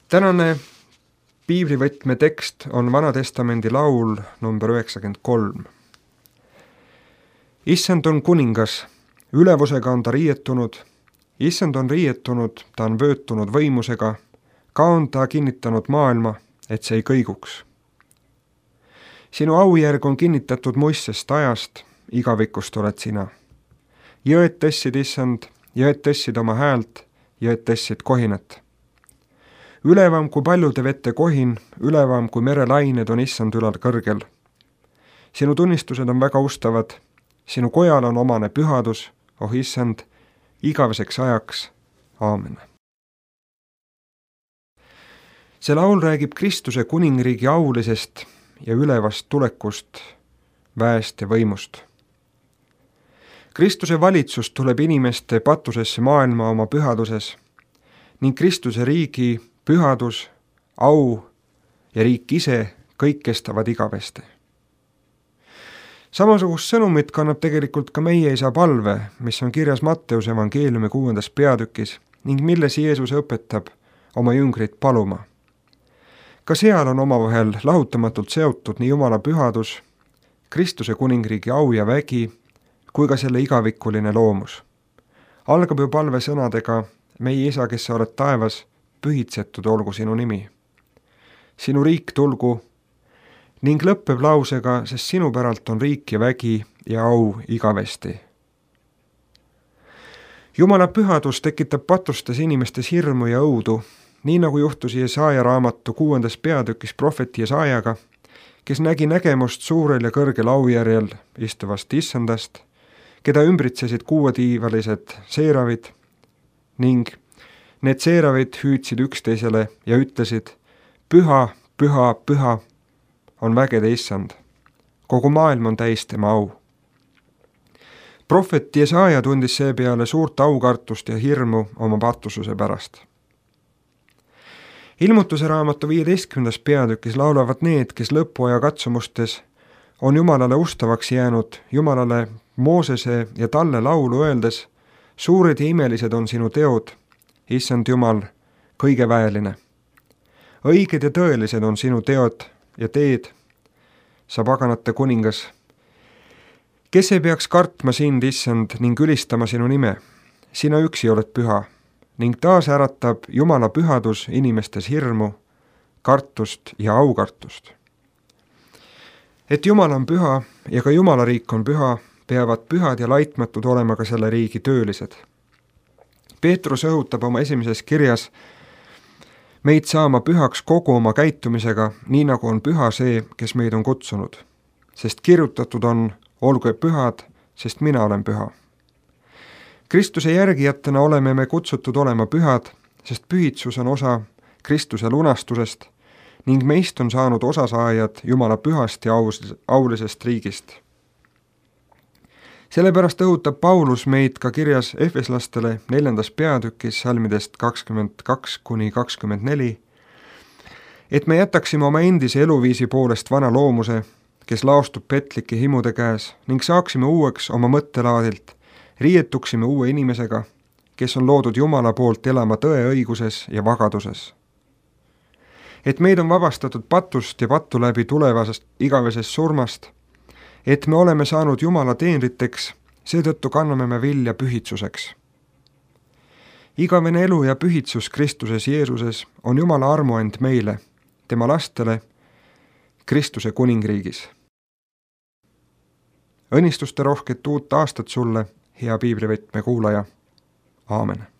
Tänane piiblivõtme tekst on Vanatestamendi laul number 93. Issand on kuningas, ülevusega on ta riietunud, issand on riietunud, ta on vöötunud võimusega, ka on ta kinnitanud maailma, et see ei kõiguks. Sinu aujärg on kinnitatud muissest ajast, igavikust oled sina. Jõed tõssid, issand, jõed tõssid oma häält, jõed tõssid kohinat. Ülevam kui paljude vette kohin, ülevam kui merelained on issand ülal kõrgel. Sinu tunnistused on väga ustavad, sinu kojal on omane pühadus, oh issand, igaveseks ajaks. Aamen. See laul räägib Kristuse kuningriigi aulisest ja ülevast tulekust, väest ja võimust. Kristuse valitsus tuleb inimeste patusesse maailma oma pühaduses ning Kristuse riigi pühadus, au ja riik ise kõik kestavad igavesti. Samasugust sõnumit kannab tegelikult ka meie isa palve, mis on kirjas Matteuse evangeeliumi 6. peatükis ning milles Jeesus õpetab oma jüngrit paluma. Ka seal on omavahel lahutamatult seotud nii Jumala pühadus, Kristuse kuningriigi au ja vägi, kui ka selle igavikuline loomus. Algab ju palve sõnadega: meie isa, kes sa oled taevas, pühitsetud olgu sinu nimi. Sinu riik tulgu, ning lõppeb lausega, sest sinu päralt on riik ja vägi ja au igavesti. Jumala pühadus tekitab patustes inimestes hirmu ja õudu, nii nagu juhtus Jesaja raamatu 6. peatükis prohveti Jesajaga, kes nägi nägemust suurel ja kõrgel aujärjel istuvast issandast, keda ümbritsesid kuuetiivalised seeravid ning need seeravid hüüdsid üksteisele ja ütlesid: püha, püha, püha on vägede issand, kogu maailm on täis tema au. Prohvet Jesaja tundis seepeale suurt aukartust ja hirmu oma patususe pärast. Ilmutuse raamatu 15. peatükis laulavad need, kes lõpuaja katsumustes on Jumalale ustavaks jäänud, Jumalale Moosese ja talle laulu öeldes: suured ja imelised on sinu teod, issand Jumal, kõige väeline. Õiged ja tõelised on sinu teod ja teed, sa paganate kuningas. Kes ei peaks kartma sind, issand, ning ülistama sinu nime? Sina üksi oled püha ning taas äratab Jumala pühadus inimestes hirmu, kartust ja aukartust. Et Jumal on püha ja ka Jumala riik on püha, peavad pühad ja laitmatud olema ka selle riigi töölised. Peetrus õhutab oma esimeses kirjas meid saama pühaks kogu oma käitumisega, nii nagu on püha see, kes meid on kutsunud. Sest kirjutatud on: olgu pühad, sest mina olen püha. Kristuse järgijatena oleme me kutsutud olema pühad, sest pühitsus on osa Kristuse lunastusest ning meist on saanud osasaajad Jumala pühast ja aulisest riigist. Sellepärast õhutab Paulus meid ka kirjas Efeslastele 4. peatükis salmidest 22–24, et me jätaksime oma endise eluviisi poolest vana loomuse, kes laostub petlike himude käes, ning saaksime uueks oma mõttelaadilt, riietuksime uue inimesega, kes on loodud Jumala poolt elama tõe õiguses ja vagaduses. Et meid on vabastatud patust ja pattu läbi tulevasest igavesest surmast, et me oleme saanud Jumala teenriteks, seetõttu kanname me vilja pühitsuseks. Igavene elu ja pühitsus Kristuses Jeesuses on Jumala armuand meile, tema lastele, Kristuse kuningriigis. Õnnistuste rohket uut aastat sulle, hea piiblivõtme kuulaja. Aamen.